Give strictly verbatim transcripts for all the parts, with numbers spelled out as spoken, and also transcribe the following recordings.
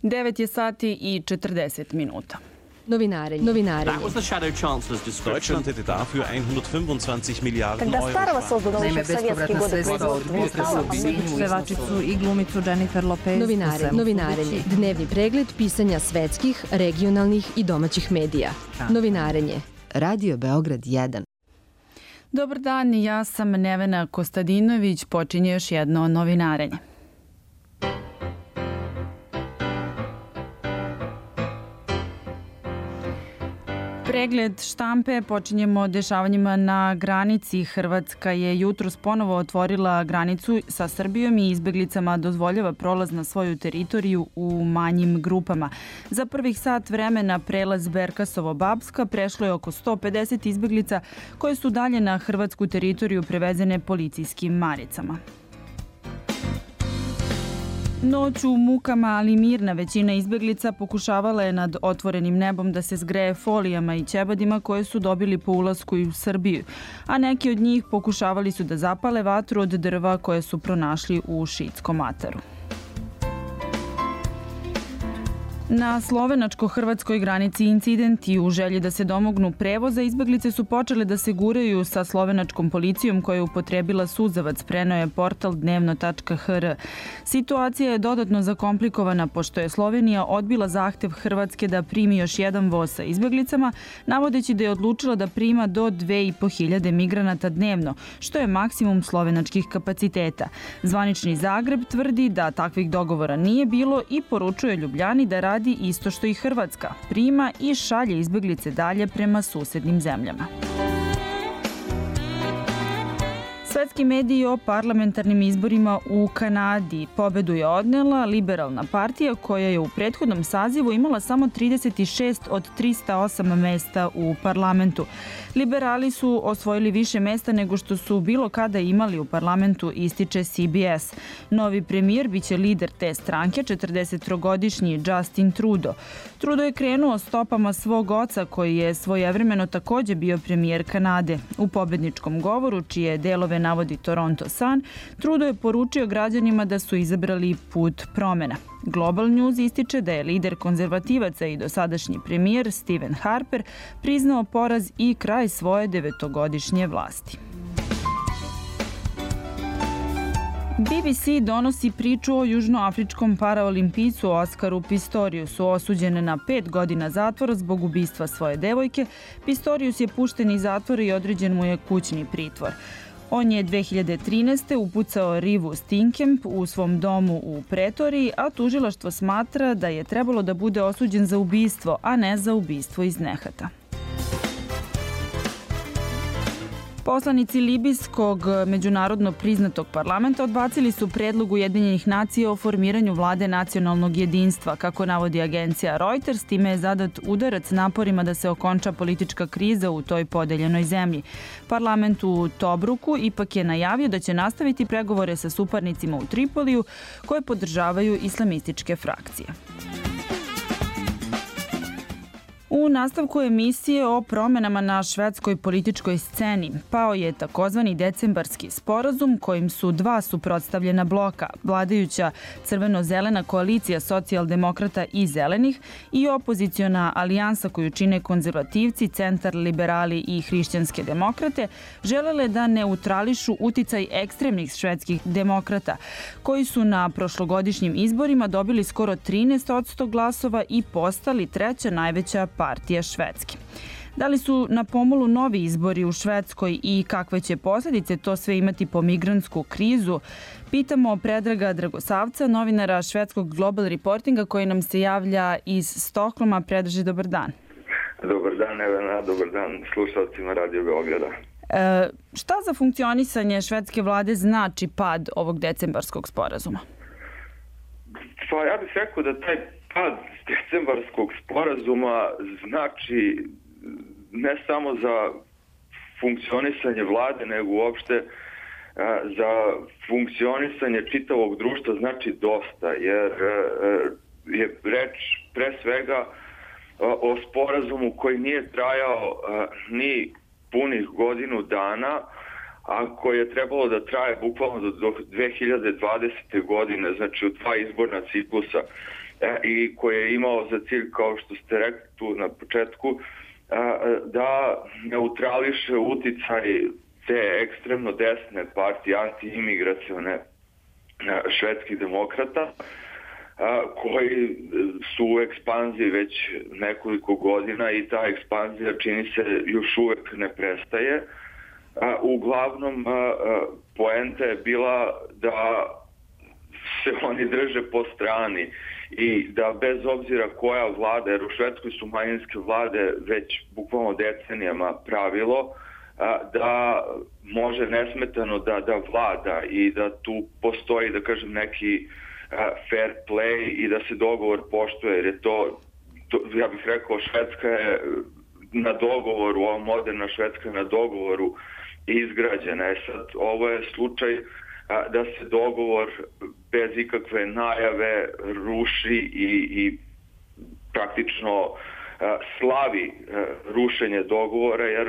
devet je sati i četrdeset minuta. Novinarenje. Novinarenje. Deutschland hätte dafür hundertfünfundzwanzig Miliarden Когда Euro. старого создан Naime, еще в советские bespovratna годы sredstva od potresa u Sinju, pevačicu i glumicu Jennifer Lopez. Novinarenje. Novinarenje. Dnevni pregled pisanja svetskih, regionalnih i domaćih medija. Novinarenje. Radio Beograd jedan. Dobar dan, ja sam Nevena Kostadinović, počinje još jedno novinarenje. Pregled štampe počinjemo dešavanjima na granici. Hrvatska je jutros ponovo otvorila granicu sa Srbijom i izbeglicama dozvoljava prolaz na svoju teritoriju u manjim grupama. Za prvih sat vremena prelaz Berkasovo-Babska prešlo je oko sto pedeset izbeglica koje su dalje na hrvatsku teritoriju prevezene policijskim maricama. Noć u mukama, ali mirna većina izbeglica pokušavala je nad otvorenim nebom da se zgreje folijama i ćebadima koje su dobili po ulasku u Srbiju, a neki od njih pokušavali su da zapale vatru od drva koje su pronašli u Šiitskom ataru. Na slovenačko-hrvatskoj granici incidenti u želji da se domognu prevoza izbeglice su počele da se guraju sa slovenačkom policijom koja je upotrebila suzavac, preneo je portal dnevno tačka h r. Situacija je dodatno zakomplikovana pošto je Slovenija odbila zahtev Hrvatske da primi još jedan voz sa izbeglicama, navodeći da je odlučila da prima do dve i po hiljade migranata dnevno, što je maksimum slovenačkih kapaciteta. Zvanični Zagreb tvrdi da takvih dogovora nije bilo i poručuje Ljubljani da radi isto što i Hrvatska, prima i šalje izbeglice dalje prema susednim zemljama. Svetski mediji o parlamentarnim izborima u Kanadi. Pobedu je odnela Liberalna partija koja je u prethodnom sazivu imala samo trideset šest od trista osam mesta u parlamentu. Liberali su osvojili više mesta nego što su bilo kada imali u parlamentu, ističe C B S. Novi premijer biće lider te stranke, četrdesettrogodišnji Justin Trudeau. Trudeau je krenuo stopama svog oca koji je svojevremeno takođe bio premijer Kanade. U pobedničkom govoru, čije delove navodi Toronto Sun, Trudeau je poručio građanima da su izabrali put promena. Global News ističe da je lider konzervativaca i dosadašnji premijer Stephen Harper priznao poraz i kraj svoje devetogodišnje vlasti. B B C donosi priču o južnoafričkom paraolimpijcu Oskaru Pistoriusu, osuđen na pet godina zatvora zbog ubistva svoje devojke. Pistorius je pušten iz zatvora i određen mu je kućni pritvor. On je dve hiljade trinaeste. upucao Rivu Steenkamp u svom domu u Pretoriji, a tužilaštvo smatra da je trebalo da bude osuđen za ubistvo, a ne za ubistvo iz nehata. Poslanici libijskog međunarodno priznatog parlamenta odbacili su predlog Ujedinjenih nacija o formiranju vlade nacionalnog jedinstva. Kako navodi agencija Reuters, time je zadat udarac naporima da se okonča politička kriza u toj podeljenoj zemlji. Parlament u Tobruku ipak je najavio da će nastaviti pregovore sa suparnicima u Tripoliju koje podržavaju islamističke frakcije. U nastavku emisije o promenama na švedskoj političkoj sceni pao je takozvani decembarski sporazum kojim su dva suprotstavljena bloka, vladajuća crveno-zelena koalicija socijaldemokrata i zelenih i opoziciona alijansa koju čine konzervativci, centar, liberali i hrišćanske demokrate, želele da neutrališu uticaj ekstremnih švedskih demokrata, koji su na prošlogodišnjim izborima dobili skoro trinaest posto glasova i postali treća najveća partija Švedske. Da li su na pomolu novi izbori u Švedskoj i kakve će posljedice to sve imati po migrantsku krizu? Pitamo Predraga Dragosavca, novinara švedskog Global Reportinga koji nam se javlja iz Stokholma. Predraže, dobar dan. Dobar dan, Evena, dobar dan slušalcima Radio Beograda. E, šta za funkcionisanje švedske vlade znači pad ovog decembarskog sporazuma? Pa ja bih rekao da taj pad decembarskog sporazuma znači ne samo za funkcionisanje vlade, nego uopšte za funkcionisanje čitavog društva znači dosta, jer je reč pre svega o sporazumu koji nije trajao ni punih godinu dana, a koji je trebalo da traje bukvalno do dve hiljade dvadesete. godine, znači u dva izborna ciklusa. i koji je imao za cilj, kao što ste rekli tu na početku, da neutrališe uticaj te ekstremno desne partije, anti-imigracione švedskih demokrata, koji su u ekspanziji već nekoliko godina i ta ekspanzija čini se još uvek ne prestaje. Uglavnom, poenta je bila da se oni drže po strani i da bez obzira koja vlada, jer u Švedskoj su manjinske vlade već bukvalno decenijama pravilo, da može nesmetano da, da vlada i da tu postoji, da kažem, neki fair play i da se dogovor poštuje, jer je to, to ja bih rekao, Švedska je na dogovoru, ova moderna Švedska je na dogovoru izgrađena. E sad, ovo je slučaj da se dogovor bez ikakve najave ruši i, i praktično slavi rušenje dogovora, jer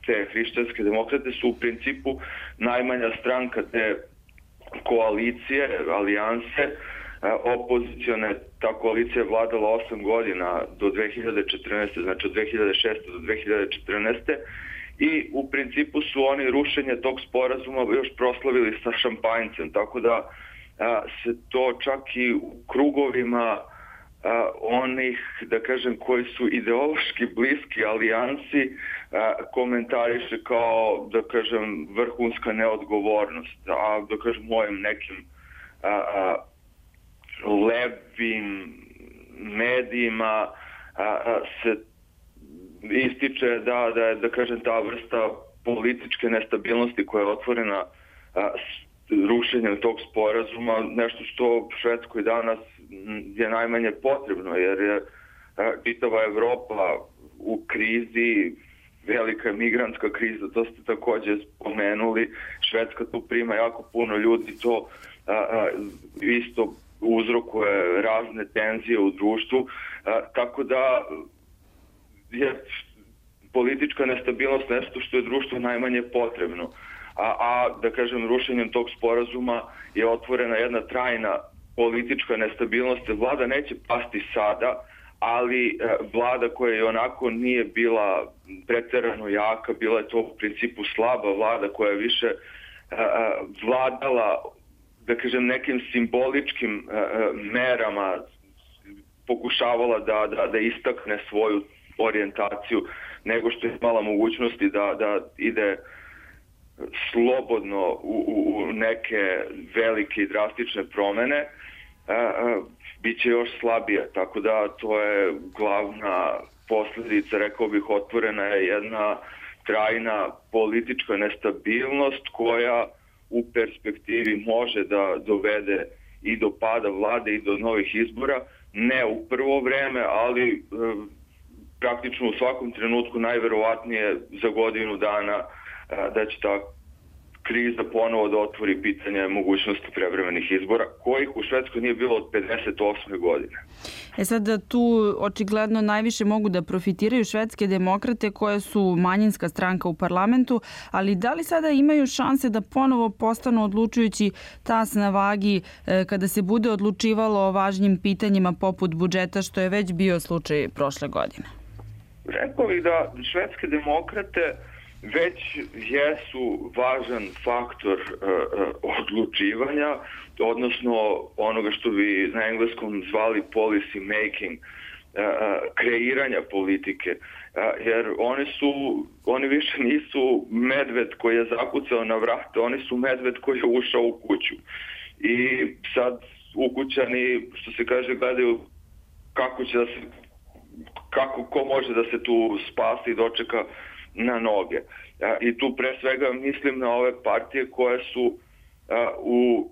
te hrišćanske demokrate su u principu najmanja stranka te koalicije, alijanse, opozicione. Ta koalicija je vladala osam godina do dve hiljade četrnaeste. znači od dve hiljade šeste. do dve hiljade četrnaeste. i u principu su oni rušenje tog sporazuma još proslavili sa šampanjcem, tako da a, se to čak i u krugovima a, onih, da kažem, koji su ideološki bliski alijansi a, komentariše kao, da kažem, vrhunska neodgovornost, a da kažem mojim nekim a, a, levim medijima a, a, se ističe da, da je, da kažem, ta vrsta političke nestabilnosti koja je otvorena a, rušenjem tog sporazuma nešto što Švedskoj danas je najmanje potrebno, jer je a, čitava Evropa u krizi, velika migrantska kriza, to ste takođe spomenuli, Švedska tu prima jako puno ljudi, to a, a, isto uzrokuje razne tenzije u društvu, a, tako da je politička nestabilnost nešto što je društvo najmanje potrebno. A, a da kažem, rušenjem tog sporazuma je otvorena jedna trajna politička nestabilnost. Vlada neće pasti sada, ali vlada koja je onako nije bila preterano jaka, bila je to u principu slaba vlada koja je više a, vladala, da kažem, nekim simboličkim a, merama, pokušavala da, da, da istakne svoju orijentaciju, nego što je imala mogućnosti da, da ide slobodno u, u neke velike i drastične promene, a, a, bit će još slabije. Tako da to je glavna posljedica, rekao bih, otvorena je jedna trajna politička nestabilnost koja u perspektivi može da dovede i do pada vlade i do novih izbora, ne u prvo vreme, ali praktično u svakom trenutku, najverovatnije za godinu dana, da će ta kriza ponovo da otvori pitanje mogućnosti prevremenih izbora, kojih u Švedskoj nije bilo od pedeset osme godine. E sad, tu očigledno najviše mogu da profitiraju švedske demokrate koje su manjinska stranka u parlamentu, ali da li sada imaju šanse da ponovo postanu odlučujući tas na vagi kada se bude odlučivalo o važnim pitanjima poput budžeta, što je već bio slučaj prošle godine? Rekao bih da švedske demokrate već jesu važan faktor uh, odlučivanja, odnosno onoga što bi na engleskom zvali policy making, uh, kreiranja politike, uh, jer oni su, oni više nisu medved koji je zakucao na vrata, oni su medved koji je ušao u kuću. I sad ukućani, što se kaže, gledaju kako će da se, kako, ko može da se tu spasi i dočeka na noge. I tu pre svega mislim na ove partije koje su a, u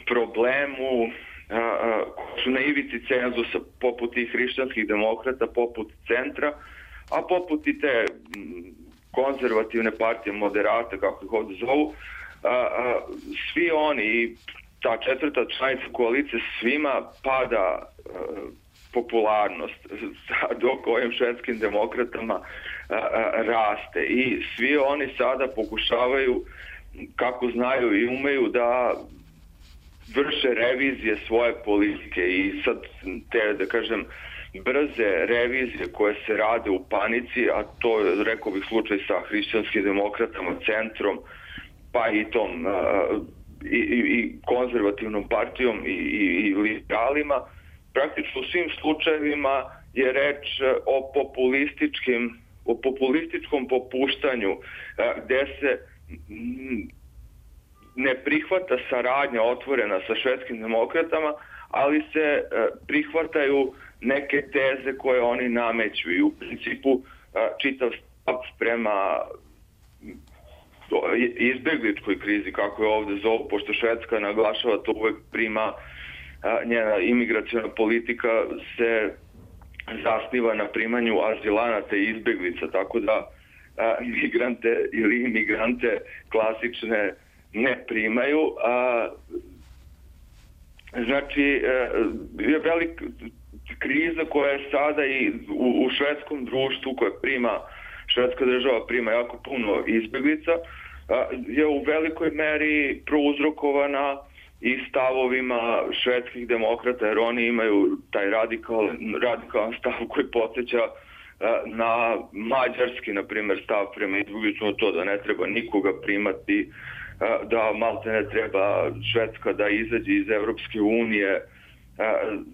problemu, a, a, koje su na ivici cenzusa, poput tih hrišćanskih demokrata, poput centra, a poput i te konzervativne partije, moderate, kako ih ovdje zovu, a, a, svi oni i ta četvrta članica koalicije, svima pada a, popularnost, dok ovim švedskim demokratama a, a, raste. I svi oni sada pokušavaju, kako znaju i umeju, da vrše revizije svoje politike i sad te, da kažem, brze revizije koje se rade u panici, a to je, rekao bih, slučaj sa hrišćanskim demokratama, centrom, pa i tom i, i, i konzervativnom partijom i, i, i liberalima, praktično u svim slučajevima je reč o populističkim, o populističkom popuštanju gde se ne prihvata saradnja otvorena sa švedskim demokratama, ali se prihvataju neke teze koje oni nameću i u principu čitav stav prema izbegličkoj krizi, kako je ovde zovu, pošto Švedska naglašava to uvek prima, njena imigraciona politika se zasniva na primanju azilanata i izbeglica, tako da migrante ili imigrante klasične ne primaju. A, znači, je velika kriza koja je sada i u, u švedskom društvu, koja prima, švedska država prima jako puno izbeglica, a, je u velikoj meri prouzrokovana i stavovima švedskih demokrata, jer oni imaju taj radikal, radikalan stav koji podsjeća na mađarski, na primjer, stav prema izbjeglicama, to da ne treba nikoga primati, da malte ne treba Švedska da izađe iz Evropske unije,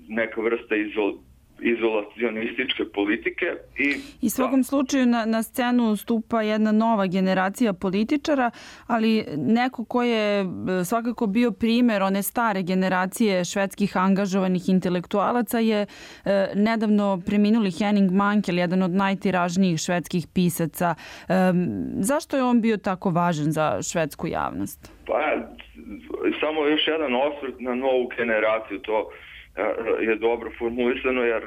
neka vrsta izol, izolacionističke politike. I, I svakom da. slučaju na, na scenu stupa jedna nova generacija političara, ali neko ko je svakako bio primer one stare generacije švedskih angažovanih intelektualaca je e, nedavno preminuli Henning Mankell, jedan od najtiražnijih švedskih pisaca. E, zašto je on bio tako važan za švedsku javnost? Pa, samo još jedan osvrt na novu generaciju, to je dobro formulisano, jer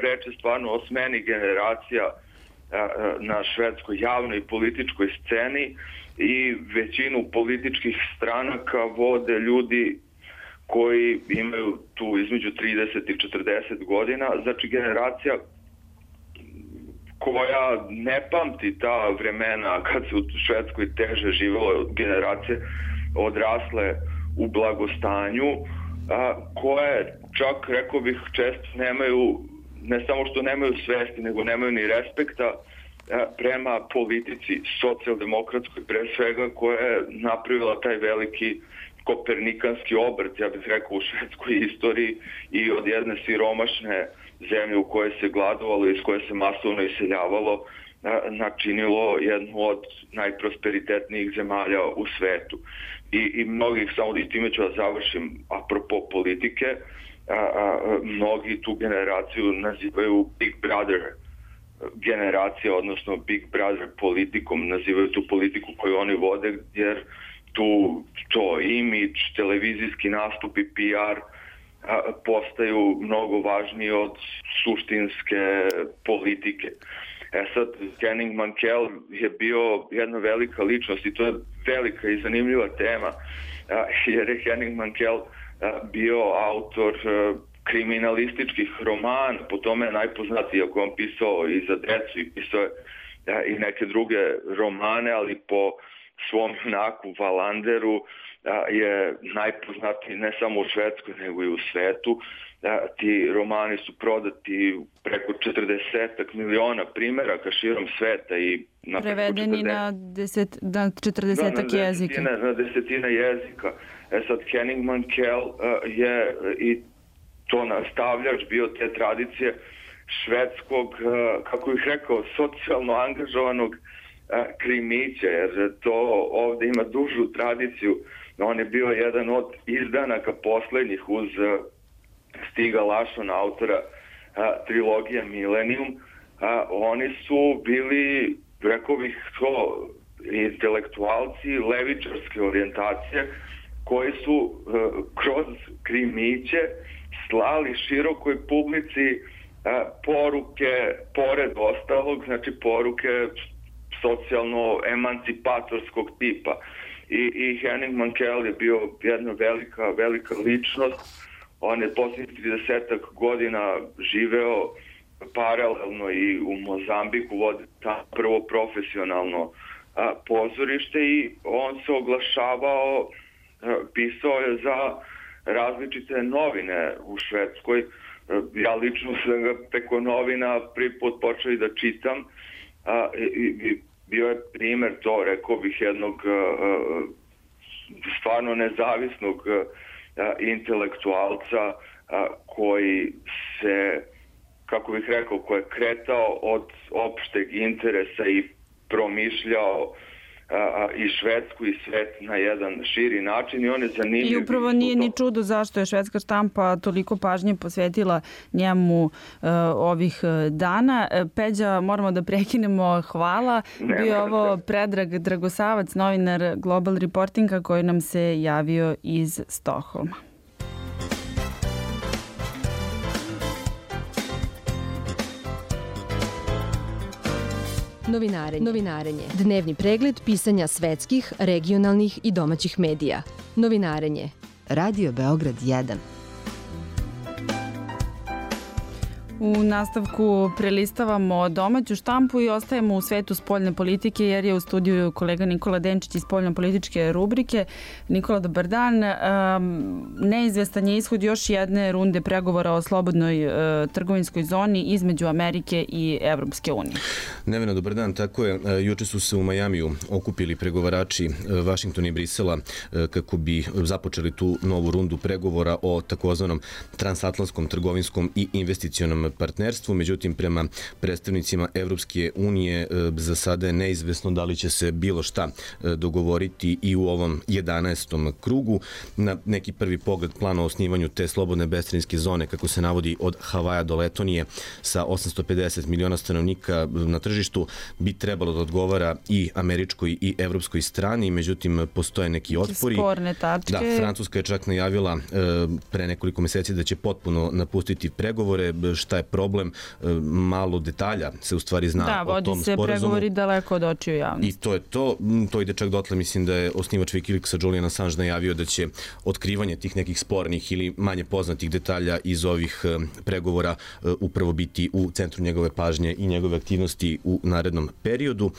reč je stvarno o smeni generacija na švedskoj javnoj i političkoj sceni i većinu političkih stranaka vode ljudi koji imaju tu između trideset i četrdeset godina, znači generacija koja ne pamti ta vremena kad se u Švedskoj teže živelo, generacije odrasle u blagostanju, a, koje čak, rekao bih, često nemaju, ne samo što nemaju svesti, nego nemaju ni respekta a, prema politici socijaldemokratskoj, pre svega, koja je napravila taj veliki kopernikanski obrt, ja bih rekao, u švedskoj istoriji i od jedne siromašne zemlje u kojoj se gladovalo i iz koje se masovno iseljavalo, načinilo jednu od najprosperitetnijih zemalja u svetu. I, i mnogih, samo i time ću da završim, apropo politike, a, a, mnogi tu generaciju nazivaju Big Brother generacija, odnosno Big Brother politikom, nazivaju tu politiku koju oni vode, jer tu to imidž, televizijski nastupi, P R a, postaju mnogo važniji od suštinske politike. E sad, Henning Mankell je bio jedna velika ličnost i to je velika i zanimljiva tema, jer je Henning Mankell bio autor kriminalističkih romana, po tome je najpoznatiji, ako on pisao i za decu i pisao je i neke druge romane, ali po svom junaku Walanderu je najpoznatiji ne samo u Švedskoj, nego i u svetu. Ti romani su prodati preko četrdeset miliona primeraka širom sveta i na prevedeni na, deset, na četrdesetak da, na jezika. Desetine, na desetine jezika. E sad, Henning Mankell uh, je i to nastavljač bio te tradicije švedskog, uh, kako bih rekao, socijalno angažovanog uh, krimića, jer to ovde ima dužu tradiciju. On je bio jedan od izdanaka poslednjih uz uh, Stiga Larsson, autora a, trilogija Millennium. A, oni su bili, rekao bih to, intelektualci levičarske orijentacije koji su a, kroz krimiće slali širokoj publici a, poruke, pored ostalog, znači poruke socijalno-emancipatorskog tipa. I, i Henning Mankell je bio jedna velika, velika ličnost. On je posljednjih tridesetak godina živeo paralelno i u Mozambiku, vodi tamo prvo profesionalno a, pozorište i on se oglašavao, a, pisao je za a, različite novine u Švedskoj. Ja lično sam ga preko novina prvi put počeo i da čitam. A, i, bio je primer to, rekao bih, jednog a, stvarno nezavisnog a, intelektualca a, koji se, kako bih rekao, koji je kretao od opšteg interesa i promišljao a, i Švedsku i svet na jedan širi način i on je zanimljiv. I upravo nije ni čudo zašto je švedska štampa toliko pažnje posvetila njemu uh, ovih dana. Peđa, moramo da prekinemo. Hvala. Nema Bio ovo Predrag Dragosavac, novinar Global Reportinga koji nam se javio iz Stokholma. Novinarenje. Novinarenje. Dnevni pregled pisanja svetskih, regionalnih i domaćih medija. Novinarenje. Radio Beograd jedan. U nastavku prelistavamo domaću štampu i ostajemo u svetu spoljne politike jer je u studiju kolega Nikola Denčić iz spoljno-političke rubrike. Nikola, dobar dan. Neizvestan je ishod još jedne runde pregovora o slobodnoj trgovinskoj zoni između Amerike i Evropske unije. Nevena, dobar dan. Tako je. Juče su se u Majamiju okupili pregovarači Vašingtona i Brisela kako bi započeli tu novu rundu pregovora o takozvanom transatlantskom trgovinskom i investicionom partnerstvu. Međutim, prema predstavnicima Evropske unije za sada je neizvesno da li će se bilo šta dogovoriti i u ovom jedanaestom krugu. Na neki prvi pogled plan o osnivanju te slobodne bescarinske zone, kako se navodi od Havaja do Letonije sa osamsto pedeset miliona stanovnika na tržištu, bi trebalo da odgovara i američkoj i evropskoj strani. Međutim, postoje neki otpori. Sporne tačke. Da, Francuska je čak najavila pre nekoliko meseci da će potpuno napustiti pregovore. Šta je problem? Malo detalja se u stvari zna da, o tom sporazumu. Da, vodi se pregovori daleko od očiju javnosti. I to je to. To ide čak dotle, mislim da je osnivač Wikileaksa Julian Assange najavio da će otkrivanje tih nekih spornih ili manje poznatih detalja iz ovih pregovora upravo biti u centru njegove pažnje i njegove aktivnosti u narednom periodu.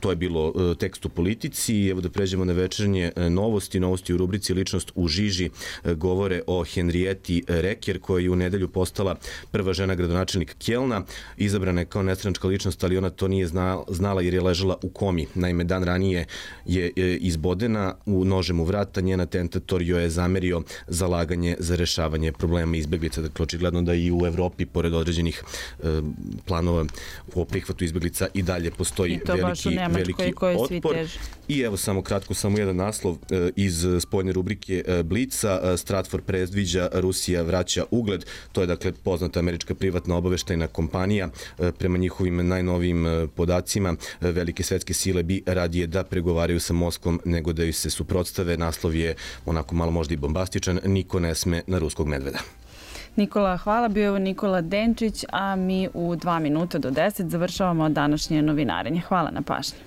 To je bilo tekst u politici. Evo da pređemo na večernje novosti. Novosti u rubrici Ličnost u žiži govore o Henrieti Reker, koja je u nedelju postala prva žena gradonačelnik Kjelna. Izabrana je kao nestranačka ličnost, ali ona to nije znala jer je ležala u komi. Naime, dan ranije je izbodena u nožem u vrata. Njen atentator joj je zamerio zalaganje za rešavanje problema izbeglica. Dakle, očigledno da i u Evropi, pored određenih planova o prihvatu izbeglica, i dalje postoji veliki, veliki otpor. I evo samo kratko, samo jedan naslov iz spoljne rubrike Blica. Stratfor predviđa Rusija vraća ugled. To je dakle poznata američka privatna obaveštajna kompanija. Prema njihovim najnovijim podacima, velike svetske sile bi radije da pregovaraju sa Moskvom nego da ju se suprotstave. Naslov je onako malo možda i bombastičan. Niko ne sme na ruskog medveda. Nikola, hvala. Bio je Nikola Denčić, a mi u dva minuta do deset završavamo današnje novinarenje. Hvala na pažnji.